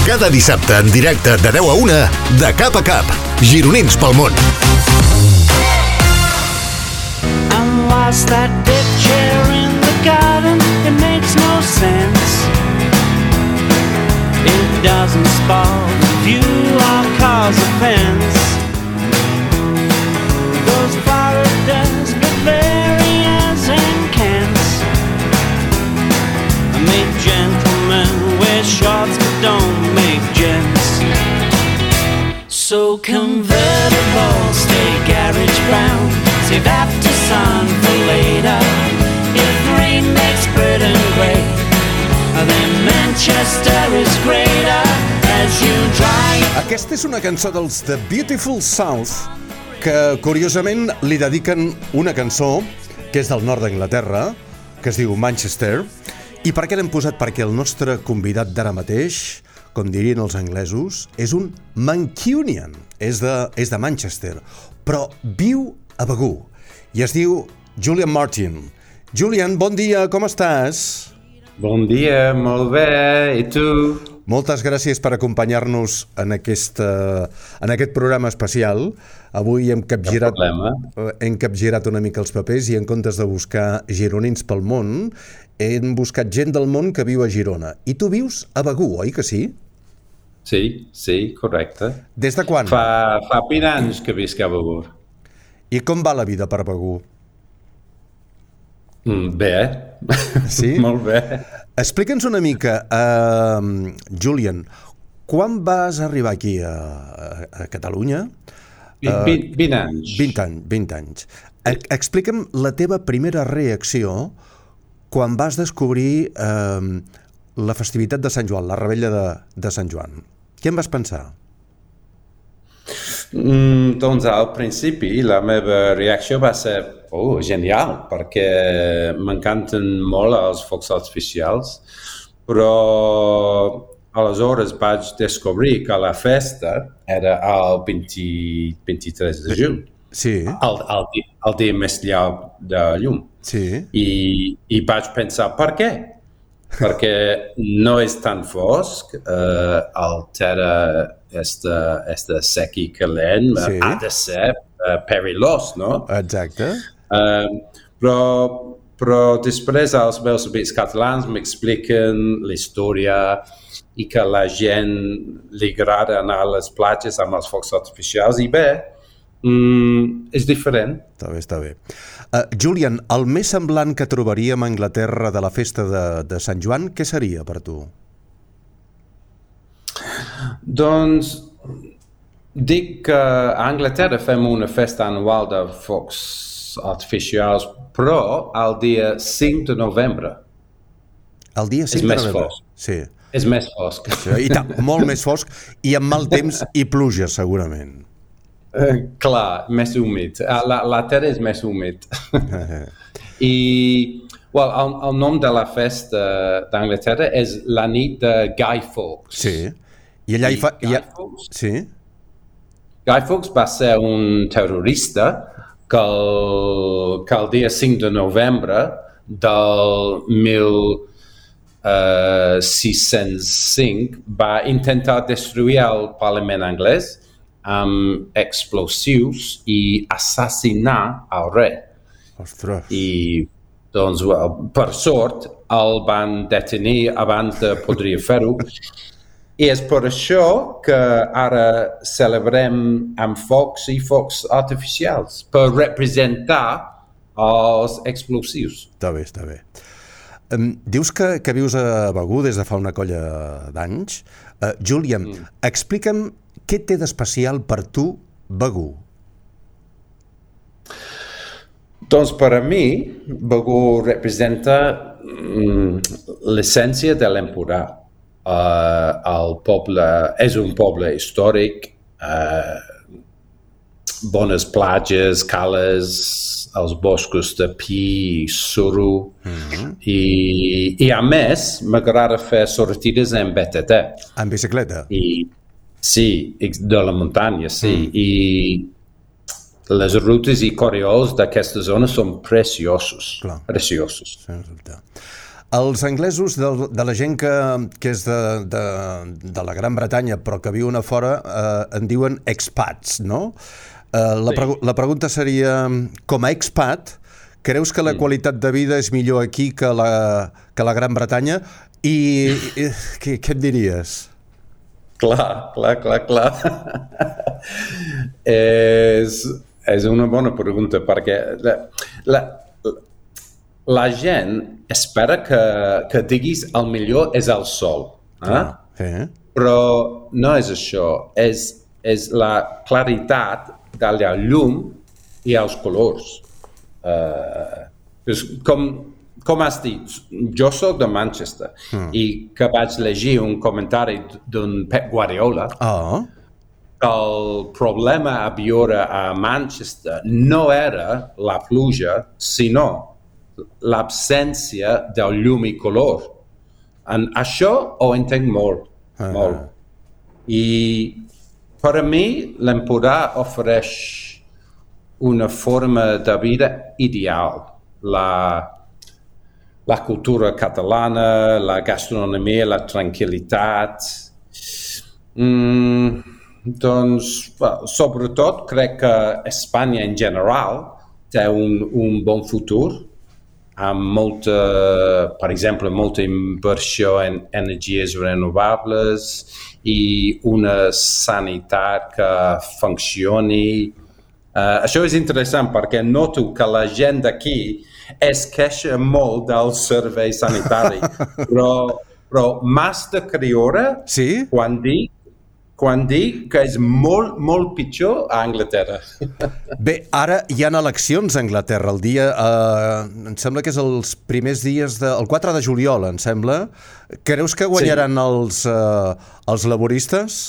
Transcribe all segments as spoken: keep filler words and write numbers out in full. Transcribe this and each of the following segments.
Cada dissabte en directe de deu a una, de cap a cap, gironins pel món. I'm lost that deck chair in the garden. It makes no sense. It doesn't spoil the view or cause offense. Those Floridas, Bavarians and Kents make gentlemen wear shorts but don't make gents. So convertible, stay garage bound, save after sun for later. If rain makes Britain great, then Manchester is greater as you drive. Aquesta és una cançó dels The Beautiful South, que curiosament li dediquen una cançó que és del nord d'Anglaterra, que es diu Manchester. I per què l'hem posat? Perquè el nostre convidat d'ara mateix, com dirien els anglesos, és un Mancunian, és de, és de Manchester, però viu a Begur i es diu Julian Martin. Julian, bon dia, com estàs? Bon dia, molt bé, i tu? Moltes gràcies per acompanyar-nos en, aquesta, en aquest programa especial. Avui hem capgirat, hem capgirat una mica els papers i en comptes de buscar gironins pel món, hem buscat gent del món que viu a Girona. I tu vius a Begur, oi que sí? Sí, sí, correcte. Des de quan? Fa, fa vint anys que visc a Begur. I com va la vida per Begur? Mm, bé. Sí? Molt bé. Explica'ns una mica, uh, Julian, quan vas arribar aquí a, a, a Catalunya? Uh, vint, vint anys. vint anys, vint anys. Explica'm la teva primera reacció quan vas descobrir uh, la festivitat de Sant Joan, la revetlla de, de Sant Joan. Què en vas pensar? Mm, doncs al principi la meva reacció va ser oh, genial, perquè m'encanten molt els focs artificials, però aleshores vaig descobrir que la festa era el vint-i-tres de juny, sí. el, el, el dia més llarg de llum. Sí. I, i vaig pensar, per què? Perquè no és tan fosc, eh, el terra està, està sec i calent, sí. Ha de ser uh, perilós, no? Exacte. Uh, però, però després els meus amics catalans m'expliquen la història i que la gent li agrada anar a les platges amb els focs artificials i bé, mm, és diferent. Està bé, està bé. Uh, Julian, el més semblant que trobaríem a Anglaterra de la festa de, de Sant Joan, què seria per tu? Doncs dic que a Anglaterra fem una festa anual de focs artificials, però el dia cinc de novembre. El dia cinc és de més novembre? Fosc. Sí. És més fosc. Sí, i tant, molt més fosc i amb mal temps i pluja, segurament. Uh, clar, més humit. La, la terra és més humit. I well, el, el nom de la festa d'Anglaterra és la nit de Guy Fawkes. Sí. I allà hi fa... Guy, ha... Fawkes, sí. Guy Fawkes va ser un terrorista que el, que el dia cinc de novembre del mil sis-cents cinc va intentar destruir el Parlament anglès amb explosius i assassinar el rei. Ostres. I, doncs, well, per sort, el van detenir abans de podria fer-ho. I és per això que ara celebrem amb focs i focs artificials, per representar els explosius. Està bé, està bé. Um, dius que, que vius a Begur des de fa una colla d'anys. Uh, Julian, mm. explica'm què té d'especial per tu Begur? Doncs per a mi, Begur representa mm, l'essència de l'Empordà. Uh, el poble és un poble històric, uh, bones platges, cales, els boscos de pi i suro, mm-hmm. I, i a més m'agrada fer sortides en B T T. En bicicleta? I, sí, de la muntanya, sí, mm. i les rutes i corriols d'aquesta zona són preciosos, Clar. preciosos. Els anglesos, de, de la gent que, que és de, de, de la Gran Bretanya però que viuen a fora, eh, en diuen expats, no? Eh, la, pregu la pregunta seria, com a expat, creus que la mm. qualitat de vida és millor aquí que la, que la Gran Bretanya? I, i què, què et diries? Clar, clar, clar, clar. és, és una bona pregunta, perquè la, la, la gent espera que, que diguis el millor és el sol. Eh? Eh? Però no és això, és, és la claritat de la llum i els colors. Uh, és com... Com has dit, jo soc de Manchester mm. i que vaig llegir un comentari d'un Pep Guardiola oh. que el problema a viure a Manchester no era la pluja, sinó l'absència del llum i color. En això ho entenc molt, ah. molt. I per a mi l'Empordà ofereix una forma de vida ideal. La la cultura catalana, la gastronomia, la tranquil·litat. Mm, doncs, sobretot, crec que Espanya en general té un, un bon futur, amb molta, per exemple, molta inversió en energies renovables i una sanitat que funcioni. Uh, això és interessant perquè noto que la gent d'aquí es queixa molt del servei sanitari, però, però m'has de creure sí? quan dic quan dic que és molt, molt pitjor a Anglaterra. Bé, ara hi ha eleccions a Anglaterra, el dia, eh, em sembla que és els primers dies, de, el quatre de juliol, em sembla. Creus que guanyaran sí. els, eh, els laboristes?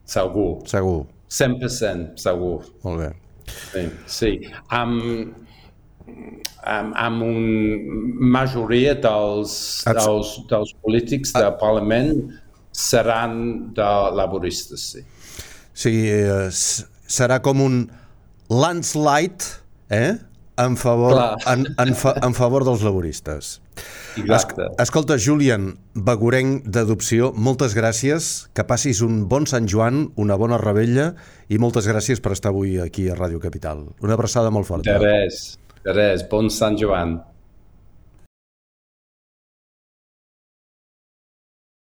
Segur. Segur. cent per cent segur. Molt bé. Sí, sí. Amb, amb, amb una majoria dels, dels, dels polítics del Parlament seran de laboristes, sí. Sí, eh, serà com un landslide, eh? En favor, en, en, fa, en favor dels laboristes. Exacte. Es, escolta, Julian, begurenc d'adopció, moltes gràcies, que passis un bon Sant Joan, una bona revetlla i moltes gràcies per estar avui aquí a Ràdio Capital. Una abraçada molt forta. De res, de res, bon Sant Joan.